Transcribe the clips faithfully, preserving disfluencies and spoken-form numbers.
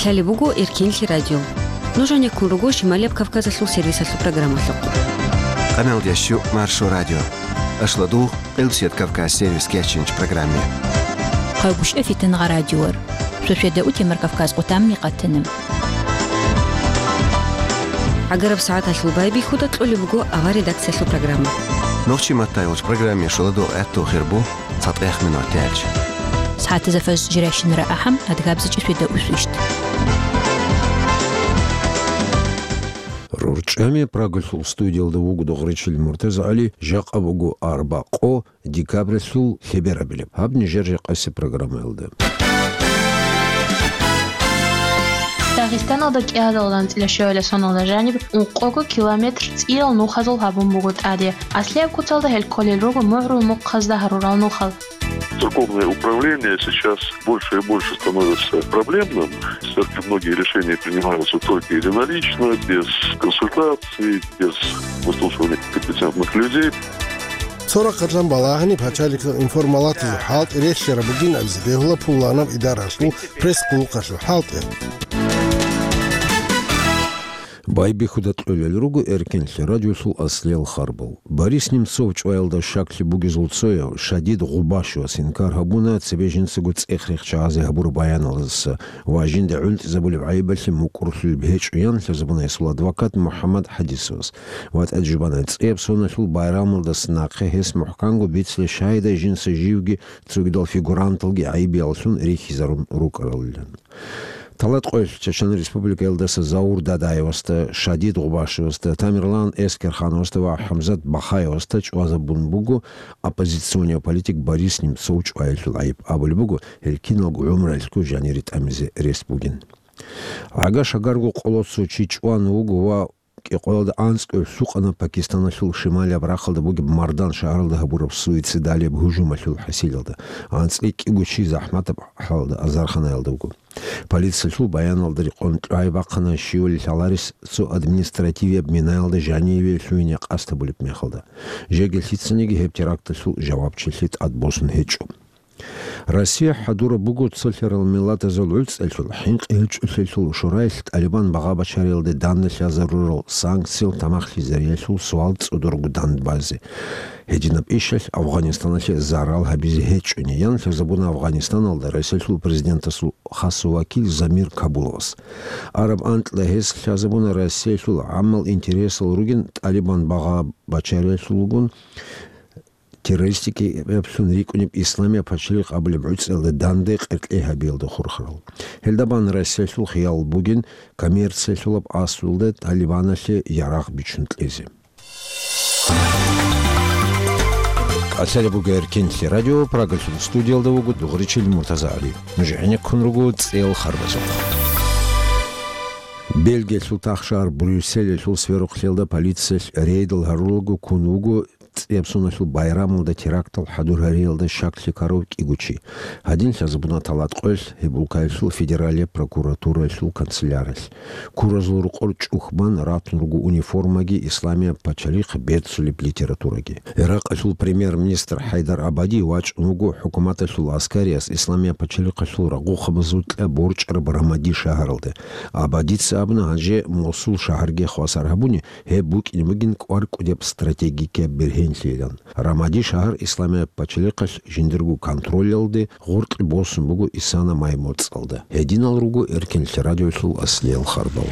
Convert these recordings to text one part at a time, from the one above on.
Лъалеб буго Эркенлъи радио. Нуж гьанеккун руго Шималияб Кавказалъул сервисалъул программалъухъ. Къаналдящу Маршо радио. Ашладугъ, Къилсият Кавказ сервис кечинч программе. Къагушев Фитангъа радиор. Сосведа утемар Кавказ къутамни къатана. ГӀагараб сагӀаталъул байбихьуда кьолеб буго авар редакциялъул программа. Нохчи маттайолч программе шуладо гӀатту хирбу цатӀех минут тяч. СагӀатазафаз жиращинара ахӀам адгабзичӀи сосведа усвищт. РорчӀами Прагалъул студиялда вуго Дугъричил МуртазагӀали, жакъа буго арбакъо декабралъул лъеберабилеб. Гьаб нижер жакъаси программаялда. Дагъистаналда кӀиазалда анцӀила щуялда соналда жаниб ункъого километр цӀиял нухазул гьабун буго тӀаде. Аслияб куцалда гьел кколел руго мугӀрул мухъазда гьарурал нухал. Церковное управление сейчас больше и больше становится проблемным. В церкви многие решения принимаются только единолично, без консультаций, без выслушивания компетентных людей. Цо рахъалъан балагьани пачалихъ информалатазул хӀалтӀи релълъараб бугин абизе бегьула пуланаб идаралъул пресс-къуллукъалъул хӀалтӀи. Байбихьуда кьолел руго Эркенлъи радиолъул аслиял харбал. Борис Немцов чӀваялда щаклъи бугезул цояв Шадид Гъубашевас инкар гьабуна цебе жинцаго цӀех-рех чагӀазе гьабураб баяналдаса ва жинда гӀунтӀизабулеб гӀайибалъе мукӀурлъулеб гьечӀо, ян лъазабуна гьесул адвокат МухӀаммад ХӀадисовас. ВатӀа жубана цӀияб соналъул байрамалдаса нахъе гьес мухӀканго бицлъи шагьидай жинца живги цогидал фигуранталги гӀайибияллъун рихьизарун рукӀаралилан. Талат къоялъ Чечен Республикаялдаса Заур Дадаевасда, Шадид Гъубашевасда, Тамерлан Эскерхановасда ва ХӀамзат Бахаевасда чӀвазабун буго оппозиционный политик Борис Немцов чӀваялъул гӀайиб. Абулеб буго, гьел киналго гӀумруялъго жанире тӀамизе рес бугин. ГӀага-шагарго къоло цо чи чӀван вуго ва кӀикъоялда анцӀго лъукъана Пакистаналъул шималияб рахъалда бугеб Мардан шагьаралда гьабураб суицидалияб гьужумалъул хӀасилалда. АнцӀила кӀиго чи захӀматаб хӀалалда азарханаялда вуго. Полициялъул баяналда рекъон кьвай бахъана щивали лъаларес цо административияб минаялда жаниве лъугьине къасд гьабулеб мехалда. Жеги лъицаниги гьеб теракталъул жавабчилъи тӀадбосун гьечӀо. Россия хӀадураб буго цолъарал миллатазул гӀуцӀелъул, хӀинкъи гьечӀолъиялъул шураялъ ТӀалибан багъа-бачариялде данде лъазарурал санкциял тамахлъизариялъул суал цӀодорго дандбазе. Гьединаб ишалъ Афганистаналъе зарал гьабизе гьечӀони, ян лъазабуна Афганистаналда Россиялъул президентасул хасав вакил Замир Кабуловас. Араб анкьда гьес лъазабуна Россиялъул гӀаммал интересал ругин ТӀалибан багъа-бачариялъулгун террористикаблъун рикӀкӀунеб Исламияб пачалихъ абулеб гӀуцӀиялда данде къеркьей гьабиялда хурхарал. Гьелда бан Россиялъул хиял бугин коммерциялъулаб асулда ТӀалибаналъе ярагъ бичун кьезе. КӀалъалеб буго Эркенлъи радио, Прагалъул студиялда вуго Дугъричил МуртазагӀали. Нуж гӀенеккун руго цӀел харбазухъ. Бельгиялъул тахшагьар Брюсселалъул сверухълъиялда полициялъ рейдал гьарулаго ккун вуго цӀияб соналъул байрамалда терактал хӀадур гьариялда щаклъи ккарав кӀиго чи. Гьадин лъазабуна талат къоялъ гьеб улкаялъул федералияб прокуратураялъул канцеляралъ. Куразул рукъор чӀухбан ратун руго униформаги, Исламияб пачалихъ берцулеб литератураги. Иракъалъул премьер-министр ХӀайдар Абади вачӀун вуго хӀукуматалъул аскариялъ Исламияб пачалихъалъул рагъухъабазул кьа борчӀараб Рамади шагьаралде. Абадица абуна, гьанже Мосул шагьарги хвасар гьабуни, гьеб букӀине бугин кӀвар кӀудияб стратегикияб бергьенлъийилан. Рамади шагьар Исламияб пачалихъалъ жиндирго контролялде гъоркье босун буго исана май моцӀалда. Гьединал руго Эркенлъи радиолъул аслиял харбал.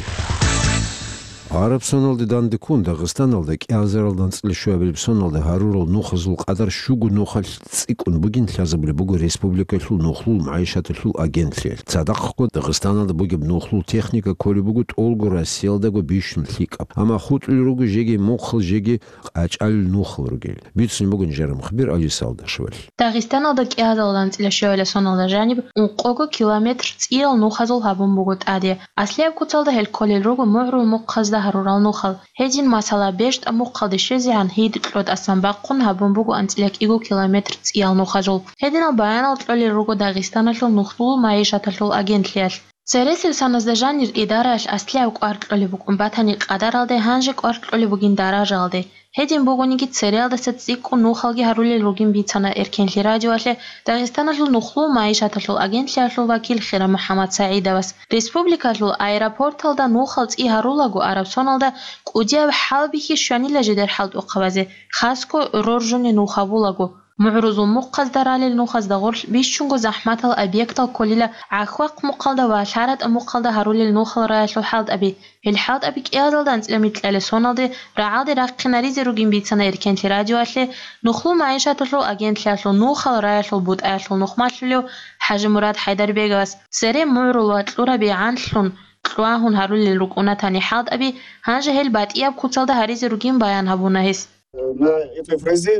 Гьараб соналде данде ккун Дагъистаналда кӀиазаралда анцӀила щуабилеб соналда гьарурал нухазул къадар щуго нухалъ цӀикӀкӀун бугин лъазабулеб буго республикалъул нухлул магӀишаталъул агентлъиялъ. Цадахъго Дагъистаналда бугеб нухлул техника кколеб буго тӀолго Россиялдаго бищун лъикӀаб. Амма хутӀулел руго жеги мухъал, жеги къачӀалел нухал ругел. Бицун буго нижер мухбир Алиса Алдашевалъ. Дагъистаналда кӀиазалда анцӀила щуабилеб соналда жаниб ункъого километр цӀиял нухазул гьабун буго тӀаде. Аслияб куцалда гьел кколел руго мугӀрул мухъазда гьарурал нухал. Гьедин, масала, БещтӀа мухъалде щвезегӀан гьид кьо тӀасан бахъун гьабун буго анцӀила кӀиго километр цӀиял нухазул. Гьединал баянал кьолел руго Дагъистаналъул нухлул магӀишаталъул агентлъиялъ. Цересел соназда жанир идараялъ аслияб кӀвар кьолеб букӀун батани къадаралде, гьанже кӀвар кьолеб бугин даражаялде. Гьедин бугониги, цереялдаса цӀикӀкӀун нухалги гьарулел ругин бицана Эркенлъи радиоялъе Дагъистаналъул нухлу-маишаталъул агентлъиялъул вакил Хира МухӀаммад СагӀидовас. Республикалъул аэропорталда нухал цӀи гьарулаго араб соналда кӀудияб хӀалбихьи щванила жидер хӀалтӀухъабазе, хасго роржуни нух гьабулаго. МугӀрузул мухъазда ралел нухазда гъорлъ бищунго захӀматал объектал кколила ГӀахьвахъ мухъалда ва ЛъаратӀа мухъалда гьарулел нухал раялъул хӀалтӀаби. Гьел хӀалтӀаби кӀиазалда анцӀила микьалел соналде рагӀалде рахъинаризе ругин бицана Эркенлъи радиоялъе нухлу-маишаталъул агентлъиялъул нухал раялъул бутӀаялъул нухмалъулев ХӀажимурад ХӀайдарбеговас. Цере мугӀрул ва кьураби гӀанлъун, кьвагьун гьарулел рукӀуна тани хӀалтӀаби, гьанже гьел батӀияб куцалда гьаризе ругин баян гьабуна гьес. На этой фрезе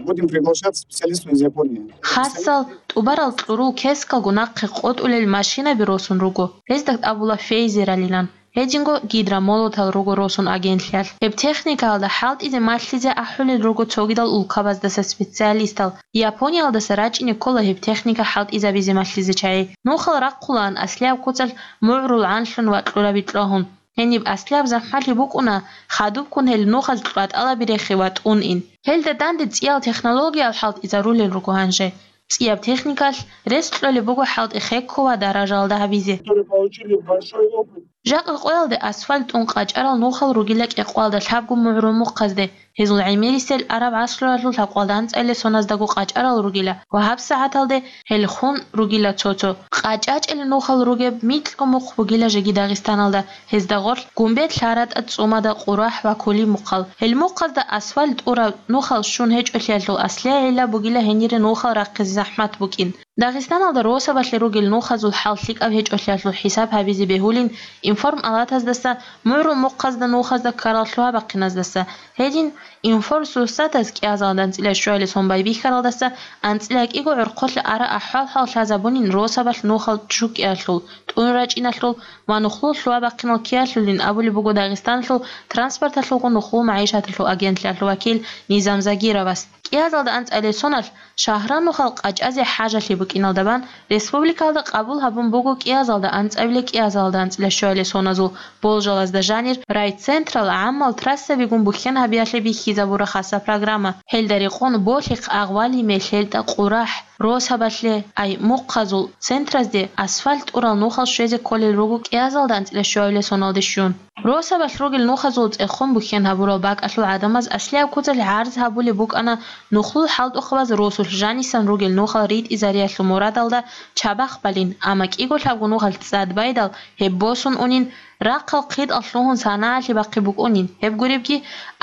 будем приглашать специалистов из Японии. Хасал, тӀубарал кьурул кескалго нахъе къотӀулел машинаби росун руго. Гьезда абула фейзералилан. Гьединго гидромолотал руго росун агентлъиялъ. Гьеб техникаялда хӀалтӀизе малъизе ахӀулел руго цогидал улкабаздаса специалистал. Япониялдаса рачӀине ккола гьеб техника хӀалтӀизабизе малъизе чагӀи. Нухал рахъулаан аслияб куцалъ мугӀрул гӀанлъун ва кьураби кьвагьун. Гьениб аслияб захӀмалъи букӀуна, хадубккун гьел нухаз кьватӀалаби рехи ва тӀун ин. Гьелда данде цӀиял технологиял хӀалтӀизарулел руго гьанже. ЦӀияб техникалъ рес кьолеб буго хӀалтӀи хекко ва даражаялда гьабизе. Которые получили большой опыт. Жакъа къоялде асфальт тӀун къачӀарал нухал ругила кӀикъоялда лъабго мугӀрул мухъазде. Гьезул гӀемерисел араб гӀасруялъул лъабкъоялда анцӀила соназдаго къачӀарал ругила ва гьабсагӀаталде гьел хун ругила цо-цо. КъачӀачӀел нухал ругеб микьго мухъ бугила жеги Дагъистаналда, гьезда гъорлъ Гумбет, ЛъаратӀа, ЦӀумада, Къурахь ва Кули мухъал. Гьел мухъазда асфальт тӀураб нухал щун гьечӀолъиялъул аслияб гӀилла бугила гьенире нухал рахъизе захӀмат букӀин. Дагъистаналда росабалъе ругел нухазул хӀал лъикӀаб гьечӀолъиялъул хӀисаб гьабизе бегьулин информалатаздаса, мугӀрул мухъазда нухазда ккарал лъугьа-бахъиназдаса. Гьедин, информсоцсетаз кӀиазалда анцӀила щуялъе сон байбихьаралдаса анцӀила кӀиго гӀорхъолъа ара ахӀвал-хӀал лъазабунин росабалъ нухал чӀукӀиялъул, тӀун рачӀиналъул ва нухлул лъугьа-бахъинал ккеялъулин абулеб буго Дагъистаналъул транспорталъулгун нухлул-магӀишаталъул агентлъиялъул вакил Низам Загировас. КӀиазалда анцӀила соналъ шагьранухал къачӀазе хӀажалъи букӀиналда бан, республикалда къабул гьабун буго кӀиазалда анцӀабиле кӀиазалда анцӀила щуяле соназул болжалазда жанир райцентрал гӀаммал трассабигун бухьен гьабиялъе бихьизабура хаса программа. Гьелда рекъон Болъихъ, Агъвали, МелъелтӀа, Къурахь, Росабалъе, ай, мухъазул центразде асфальт тӀурал нухал щвезе кколел руго кӀиазалда анцӀила щуяле соналде щун. Росабалъ ругел нухазул цӀехун бухьен гьабурал бакӀалъул гӀадамаз аслияб куцалъ гӀарз гьабулеб букӀана нухлул хӀалтӀухъабаз росулъ жанисан ругел нухал ритӀизариялъул мурадалда чабахъ балин, амма кӀиго лъабго нухалъ цӀад байдал гьеб босун унин, рахъал хъитӀал лъугьун санагӀалъи бахъи букӀунин. Гьеб гуребги,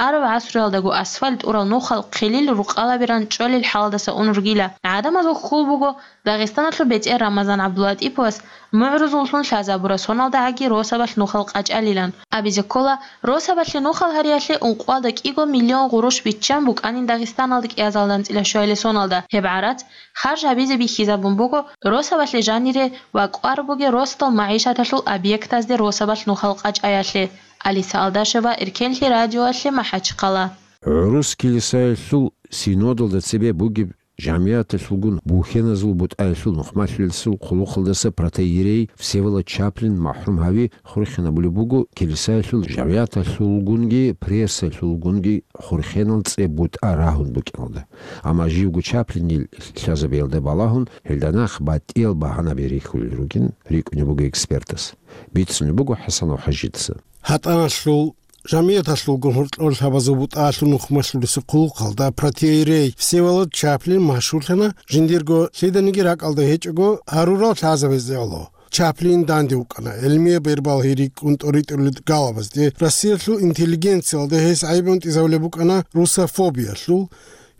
араб гӀасруялдаго асфальт тӀурал нухал хъилил рукъалабиран чӀолел хӀалдаса ун ругила. ГӀадамазул хьул буго, Дагъистаналъул бетӀер Рамазан ГӀабдулатӀиповас мугӀрузуллъун лъазабура соналдагӀаги росабалъ нухал къачӀалилан. Абизе ккола, росабалъе нухал гьариялъе ункъоялда кӀиго миллион гъурущ биччан букӀанин Дагъистаналда кӀиазалда анцӀила щуяле соналда. Гьеб гӀарац харж гьабизе бихьизабун буго росабалъе жанире ва кӀвар бугеб росдал магӀишаталъул объектазде росабалъ нухал къачӀаялъе. Алиса Алдашева, Эркенлъи радиоялъе, МахӀачхъала. ГӀурус килисаялъул синодалда цебе бугеб жамгӀияталъулгун бухьеназул бутӀаялъул нухмалъулесул хъулухъалдаса протоиерей Всеволод Чаплин махӀрум гьави хурхинабулеб буго килисаялъул жамгӀияталъулгунги прессалъулгунги хурхенал цӀе бутӀа рагьун букӀиналда. Амма живго Чаплинил лъазабиялда балагьун, гьелда нахъ батӀиял багьанаби рихьулел ругин рикӀкӀунеб буго экспертас. Бицунеб буго ХӀасанов ХӀажидаса. ГьатӀаналъул жамгӀияталъулгун гьоркьор лъабазул бутӀаялъул нухмалъулесул хъулухъалда протоиерей Всеволод Чаплин машгьурлъана, жиндирго лъиданиги ракӀалда гьечӀого гьарурал лъазабазе гӀоло. Чаплин данде вукӀана, гӀелмияб бербал гьи рикӀкӀун тӀоритӀулел галабазде, Россиялъул интеллигенциялда гьес гӀайиб гьунтӀизабулеб букӀана русофобиялъул,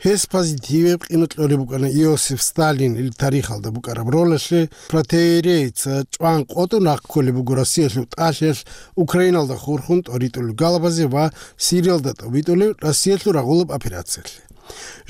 гьес позитивеб къимат кьолеб букӀана Иосиф Сталинил тарихалда букӀараб ролалъе, протоиерейца чӀван къотӀун рахъ кколеб буго Россиялъул тӀалъиялъ Украиналда хурхун тӀоритӀулел галабазе ва Сириялда тӀобитӀулеб Россиялъул рагъулаб операциялъе.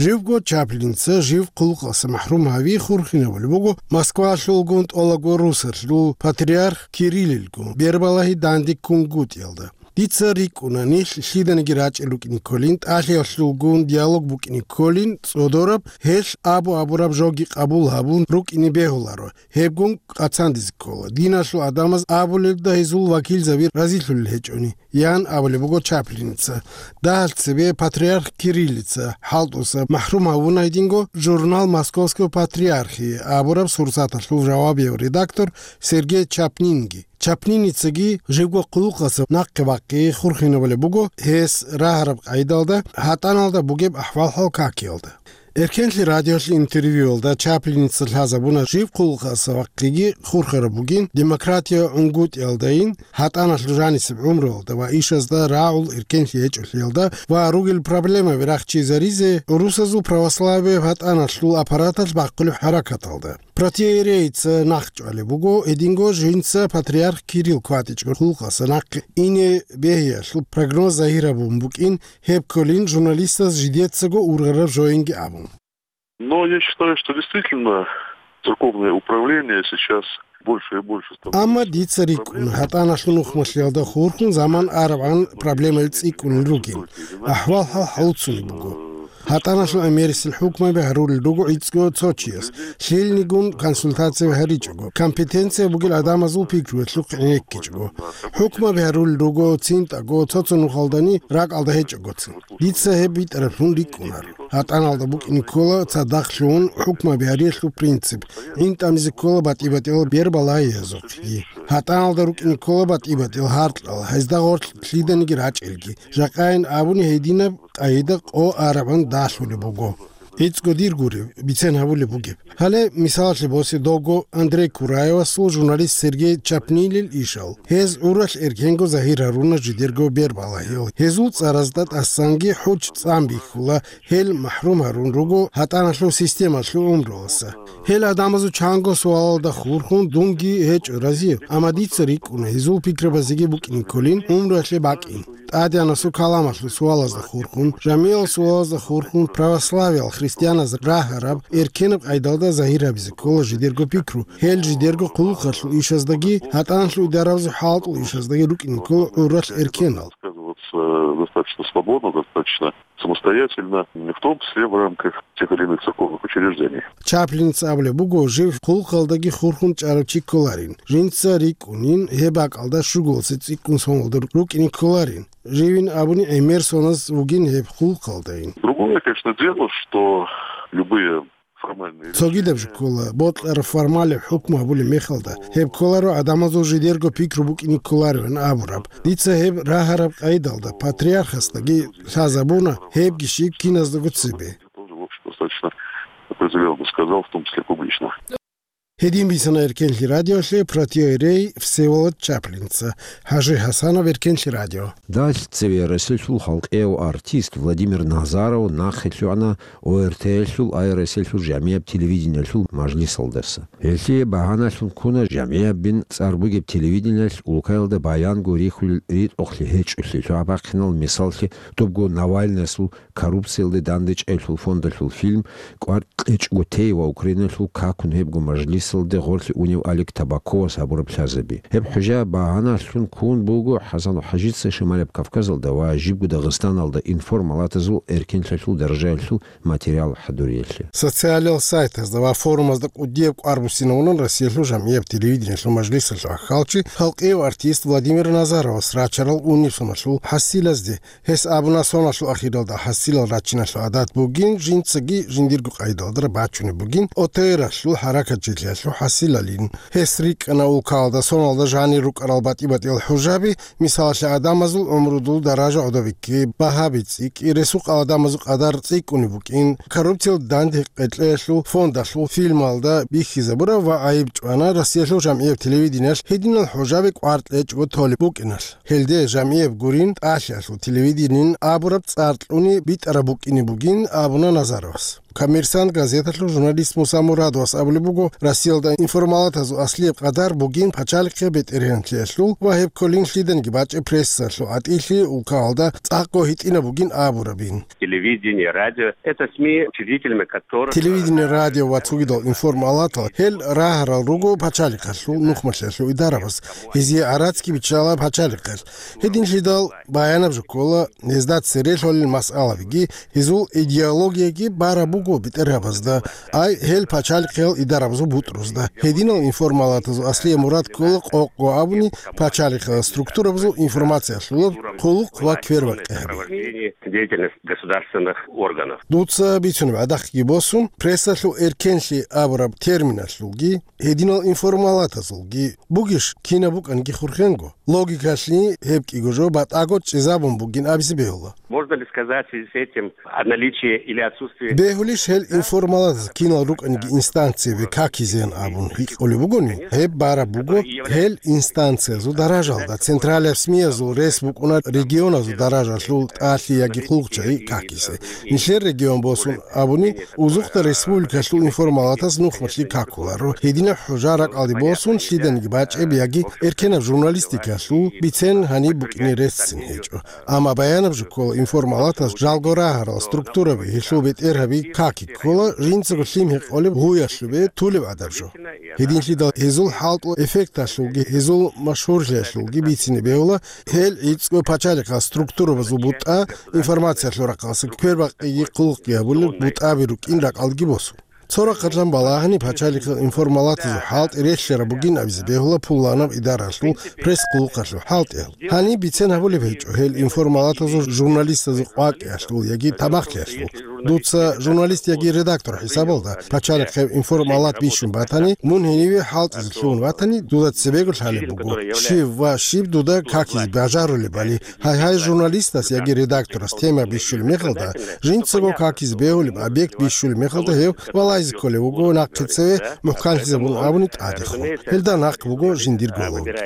Живго Чаплинца жив хъулухъалъа махӀрум гьави хурхинабулеб буго Москвалъулгун тӀолабго русалъул патриарх Кириллилгун бербалагьи данде ккунгутӀиялда. Дица рикӀкӀуна, нилъ лъиданиги рачӀел рукӀине кколин, тӀалъиялъулгун диалог букӀине кколин, цӀодораб, гьелъ абу-абураб жоги къабул гьабун рукӀине бегьуларо, гьебгун къацандизе ккола, диналъул гӀадамаз абулелда гьезул вакилзаби разилъулел гьечӀони, ян абулеб буго Чаплиница. Дагьалъ цебе патриарх Кириллица хӀалтӀуса махӀрум гьавуна гьединго журнал «Московского патриархии» абураб сурсаталъул жавабияв редактор Сергей Чапнинги. Чапниницаги живго хъулухъаса нахъе вахъи хурхинабулеб буго гьес рагьараб къайдалда, гьатӀаналда бугеб ахӀвал-хӀал какиялда. Эркенлъи радиолъе интервьюялда Чаплиница лъазабуна жив хъулухъаса вахъиги хурхараб бугин демократия гӀунгутӀиялдайин, гьатӀаналъул жанисеб гӀумруялда ва ишазда рагӀул эркенлъи гьечӀолъиялда ва ругел проблемаби рахчизаризе гӀурусазул православияб гьатӀаналъул аппараталъ бахъулеб хӀаракаталда. Протоиерейица нахъчӀвалеб буго, гьединго жинца патриарх Кирилл кватӀичӀого хъулухъаса нахъе ине бегьиялъул прогноз загьир гьабун букӀин, гьеб кколин журналистаз жидецаго ургъараб жоинги абун. Но я считаю, что действительно церковное управление сейчас больше и больше становится. Амма дица рикӀкӀун, гьатӀаналъул нухмалъиялда хурхун заман арабгӀан проблемаби цӀикӀкӀунел ругин. АхӀвал-хӀал хӀалуцунеб буго. ГьатӀаналъул гӀемерисел хӀукмаби гьарулел руго гӀицӀго цо чияс, лъилнигун консультация гьаричӀого, компетенция бугел гӀадамазул пикруялъухъ гӀенеккичӀого. ХӀукмаби гьарулел руго цинтӀаго, цо-цо нухалдани ракӀалда гьечӀогоцин. Дица гьеб битӀараблъун рикӀкӀунаро. ГьатӀаналда букӀине ккола цадахъ лъугьун хӀукмаби гьариялъул принцип, гӀин тӀамизе ккола батӀи-батӀиял бербалагьиязухъги. ГьатӀаналда рукӀине ккола батӀи-батӀиял гьаркьал, гьезда гъорлъ лъиданиги рачӀелги. Жакъайин абуни, гьединаб къагӀида къо арабгӀан далъулеб буго. ГӀицӀго дир гуреб, бицен гьабулеб бугеб. Гьале мисалалъе босе довго Андрей Кураевасул журналист Сергей Чапнилил ишал. Гьез гӀуралъ эркенго загьир гьаруна жидерго бербалагьиял. Гьезул цӀаразда тӀасанги хӀуч цӀан бихьула, гьел махӀрум гьарун руго гьатӀаналъул системалъул гӀумруялдаса. Гьел гӀадамазул чанго суалалда хурхун дунги гьечӀо разияб, амма дица рикӀкӀуна гьезул пикрабазеги букӀине кколин гӀумруялъе бакӀин. ТӀадегӀанасул каламалъул суалазда хурхун, жамигӀал суалазда хурхун, православиял христианаз рагьараб, эркенаб къайдалда загьир гьабизе ккола жидерго пикру, гьел жидерго хъулухъалъул ишаздаги, гьатӀаналъул идарабазул хӀалтӀул ишаздаги рукӀине ккола гӀуралъ эркенал. Высказываться достаточно свободно, достаточно самостоятельно, в том числе в рамках тех или иных церковных учреждений. Чаплиница абулеб буго, жив хъулухъалдаги хурхун чӀарав чи кколарин. Жинца рикӀкӀунин, гьеб бакӀалда щугуласе цӀикӀкӀун соналда рукӀине кколарин. Живин абуни, гӀемер соназ вугин гьеб хъулухъалдайин. Другое, конечно, дело, что любые формальные... Цогидаб жо ккола, бокьараб формалаб хӀукму гьабулеб мехалда, гьеб кколаро гӀадамазул жидерго пикру букӀине кколароан абураб. Дица гьеб рагьараб къайдалда патриархасдаги лъазабуна, гьебги щиб киназдаго цебе. Тоже, в общем, достаточно определённо сказал, в том числе публично. Гьедин бицана Эркенлъи радиолъе протоиерей Всеволод Чаплинца. ХӀажи ХӀасанов, Эркенлъи радио. Далъ цеве Россиялъул халкъияв артист Владимир Назаров нахъе лъугӀана ОРТ-ялъул ай Россиялъул жамигӀаб телевидениялъул мажлисалдаса. Гьелъие багьаналъун ккуна жамигӀабин цӀар бугеб телевидениялъ улкаялда баянго рихьулел ритӀухълъи гьечӀолъи лъугӀа-бахъинал, мисаллъи, дубго Навальныясул коррупциялде дандечӀеялъул фондалъул фильм, кӀвар кьечӀого тей ва Украиналъул какун гьебго мажлисалде гъорлъе унев Олег Табаковас гьабураб лъазаби. Гьеб хӀужа багьаналъун ккун буго ХӀасан ХӀажица Шималаб Кавказалда ва жибго Дагъистаналда информалатазул эркенлъиялъул даражаялъул материал хӀадуриялъе. Социалиял сайтазда ва форумазда кӀудияб кӀвар буссинавунан Россиялъул жамигӀаб телевидениялъул мажлисалъул аххалчи, халкъияв артист Владимир Назаровас рачарал униб соналъул хӀасилазде. Гьес абуна, соналъул ахиралда хӀасилал рачиналъул гӀадат бугин, жинцаги жиндирго къайдалда бачунеб бугин, ОТР-алъул хӀаракатчилъиялъул хӀасилалин. Гьес рикӀкӀана улкалда соналда жанир рукӀарал батӀи-батӀиял хӀужаби, мисалалъе, гӀадамазул гӀумрудул даража гӀодобикки, багьаби цӀикӀкӀи, ресукъал гӀадамазул къадар цӀикӀкӀунеб букӀин, коррупциялда данде къечӀеялъул фондалъул фильмалда бихьизабураб ва гӀайиб чӀвана Россиялъул жамигӀаб телевидениялъ гьединал хӀужаби кӀвар кьечӀого толеб букӀиналъ. Гьелде жамигӀаб гурин, тӀалъиялъул телевидениен абураб цӀар кьуни битӀараб букӀине бугин абуна Назаровас. «Коммерсант» газеталъул журналист Муса Мурадовас абулеб буго, Россиялда информалатазул аслияб къадар бугин пачалихъе бетӀергьанлъиялъул ва гьеб кколин лъиданиги бачӀеб прессалъул гӀатӀилъи улкаялда цӀакъго гьитӀинаб бугин абурабин. Телевидение, радио — это СМИ, учредителями которых... Телевидение, радио ва цогидал информалатал гьел рагьарал руго пачалихъалъул нухмалъиялъул идарабаз, гьезие гӀарацги биччала пачалихъалъ. Гьединлъидал баянаб жо ккола, гьезда цере лъолел масъалабиги, гьезул идеологияги бараб буго бетӀергьабазда, ай, гьел пачалихъиял идарабазул бутӀрузда. Гьединал информалатазул аслияб мурад ккола къокъго абуни пачалихъиял структурабазул информациялъулаб хъулухъ ва квербакъи гьаби. Деятельность государственных органов. Дуца бицунеб гӀадахъги босун, прессалъул эркенлъи абураб терминалъулги, гьединал информалатазулги бугищ кинаб букӀанги хурхенго. Логикалъе гьеб кӀиго жо батӀаго чӀезабун бугин абизе бегьула. Можно ли сказать в связи с этим о наличии или отсутствии... Бегьулищ гьел информалатаз кинал рукӀаниги инстанциябе какизеян абун гьикъулеб бугони, гьеб бараб буго гьел инстанциязул даражалда, централияб СМИ-язул рес букӀуна регионазул даражалъул тӀалъи яги хъулухъчагӀи какизе. Нилъер регион босун абуни, узухъда республикалъул информалатаз нухмалъи какуларо. Гьединаб хӀужа ракӀалде босун лъиданиги бачӀеб яги эркенаб журналистикалъул бицен гьаниб букӀине реццин гьечӀо. Амма баянаб жо ккола, информалатаз жалго рагьарал структураби, гьелъул бетӀергьаби каки ккола, жинцаго лъим гьекъолеб гъуялъубе тулеб гӀадаб жо. Гьединлъидал гьезул хӀалтӀул эффекталъулги, гьезул машгьурлъиялъулги бицине бегьула, гьел гӀицӀго пачалихъал структурабазул бутӀа, информациялъул рахъалъа квербакъиги хъулухъги гьабулел бутӀаби рукӀин ракӀалдеги босун. Цо рахъалъан балагьани пачалихъал информалатазул хӀалтӀи релълъараб бугин абизе бегьула пуланаб идаралъул пресс-хъулухъалъул хӀалтӀиял. Гьаниб бицен гьабулеб гьечӀо гьел информалатазул журналистазул къвакӀиялъул яги тамахлъиялъул. Дуца журналист яги редактор хӀисабалда пачалихъе информалат бищун батани, мун гьениве хӀалтӀизе лъугьун ватани, дуда цебего лъалеб буго, щив ва щиб дуда какизе бажарулебали. Гьай-гьай, журналистас яги редакторас тема бищулеб мехалда, жинцаго какизе бегьулеб объект бищулеб мехалда гьев валайзе кколев вуго нахъе цеве мухӀканлъизабун абуни тӀадехун. Гьелда нахъ буго жиндирго логика.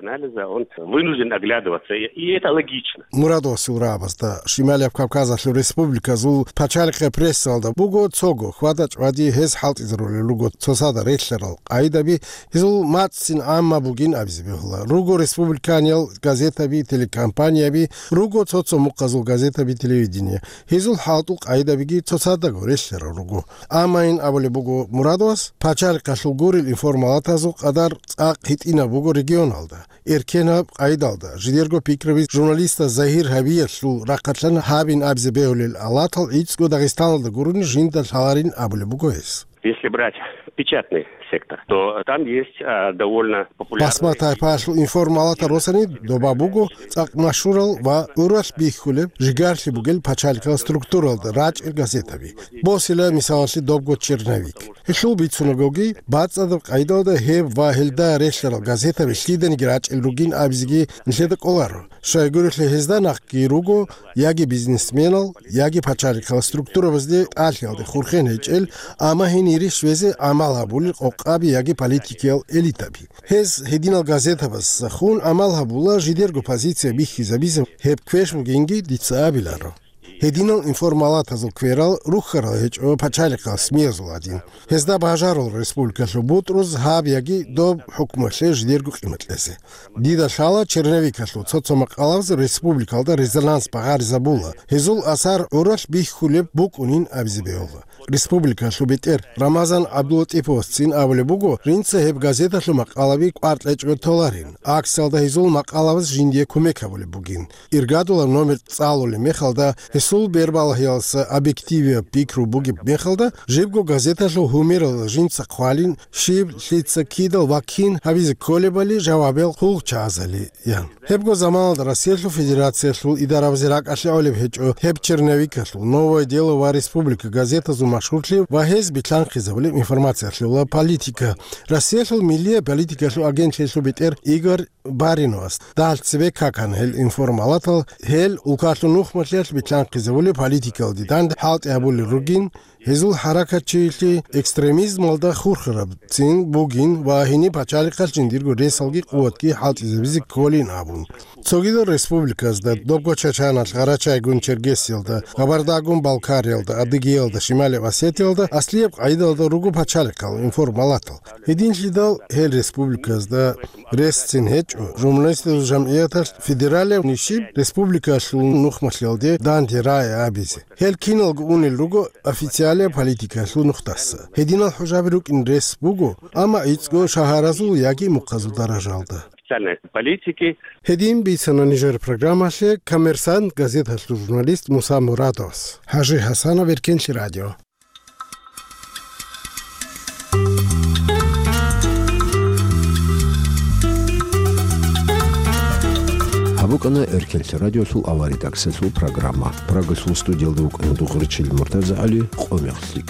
Анализа он вынужден оглядываться, и это логично. Мурадовасул рагӀабазда Шималияб Кавказалъул республиказул пачалихъе прессалда буго цого хьвада-чӀвади гьез хӀалтӀизарулел руго цоцазда релълъарал къайдаби, гьезул мацӀцӀин гӀамма бугин абизе бегьула. Руго республиканиял газетаби, телекомпанияби, руго цо-цо мухъазул газетаби, телевидение. Гьезул хӀалтӀул къайдабиги цоцаздаго релълъарал руго. Амма ин абулеб буго Мурадовас, пачалихъалъул гурел информалатазул къадар цӀакъ гьитӀинаб буго регионалда. Эркенаб къайдалда, жидерго пикраби журналистаз загьир гьабиялъул рахъалъан гьабин абизе бегьулел алатал гӀицӀго Дагъистаналда гурони жинда лъаларин абулеб буго гьес. Если брать печатный сектор, то там есть, а, довольно популярные... Басма тайпаялъул информалатал росани доба буго цӀакъ машгьурал ва гӀуралъ бихьулеб, жигарлъи бугел пачалихъал структуралда рачӀел газетаби. Босила мисалалъе добго «Черновик». Гьелъул бицунагоги, бацӀцӀадаб къайдалда гьеб ва гьелда релълъарал газетаби лъиданиги рачӀел ругин абизеги нилъеда кӀоларо. Щайгурелъул гьезда нахъги руго яги бизнесменал, яги пачалихъал структурабазде тӀалъиялде хурхен гьечӀел, амма гьенире щвезе гӀамал гьабулел къокъаби яги политикиял элитаби. Гьез гьединал газетабазда хун гӀамал гьабула жидерго позиция бихьизабизе, гьеб квеш бугинги дица абиларо. Гьединал информалатазул кверал рухьарал гьечӀо пачалихъал СМИ-язул гӀадин. Гьезда бажарул республикалъул бутӀруз гьаб яги доб хӀукмуялъе жидерго къимат кьезе. Дида лъала черновикалъул цо-цо макъалабаз республикалда резонанс багъаризабула, гьезул асар гӀуралъ бихьулеб букӀунин абизе бегьула. Республикалъул бетӀер Рамазан ГӀабдулатӀиповасцин абулеб буго, жинца гьеб газеталъул макъалаби кӀвар кьечӀого толарин. Акциялда гьезул макъалабаз жиндие кумек гьабулеб бугин. Иргадулаб номер цӀалулеб мехалда, гьесул бербалагьиялдаса объективияб пикру бугеб мехалда, жибго газеталъул гьумералда жинца хъвалин, щиб, лъица, кидал ва кин гьабизе кколебали жавабиял хъулухъчагӀазали, ян. Гьебго заманалда Россиялъул Федерациялъул идарабазе ракӀалъе гӀолеб гьечӀо гьеб черновикалъул «Новое дело» ва «Республика» газетазул машгьурлъи ва гьез билълъанхъизабулеб информациялъула политика. Россиялъул миллияб политикалъул агентлъиялъул бетӀер Игорь Бариновас. Дагьал цебе какан гьел информалатал, гьел улкалъул нухмалъиялъ битлъанхъизабулеб политикалде данде хӀалтӀи гьабулел ругин, гьезул хӀаракатчилъи экстремизмалда хурхарабцин бугин ва гьениб пачалихъалъ жиндирго ресалги къуватги хӀалтӀизабизе кколин абун. Цогидал республиказда, добго Чачаналъ, Гъарачайгун Чергесиялда, Кабардагун Балкариялда, Адыгеялда, Шималияб Осетиялда аслияб къагӀидалда руго пачалихъал информалатал. Гьединлъидал гьел республиказда ресцин гьечӀо, журналистазул жамгӀияталъ федералияб нишиб республикалъул нухмалъиялде данде рагӀи абизе. Гьел киналго унел руго официалияб политикалъул нухдаса. Гьединал хӀужаби рукӀин рес буго, амма гӀицӀго шагьаразул яги мухъазул даражалда. Официальной политики. Гьедин бицана нижер программалъе «Коммерсант» газеталъул журналист Муса Мурадовас. ХӀажи ХӀасанов, Эркенлъи радио. Гьаб букӀана Эркенлъи радиолъул авария таксалъул программа. Прагалъул студиялда вукӀана Дугъричил МуртазагӀали, къо мехлъи.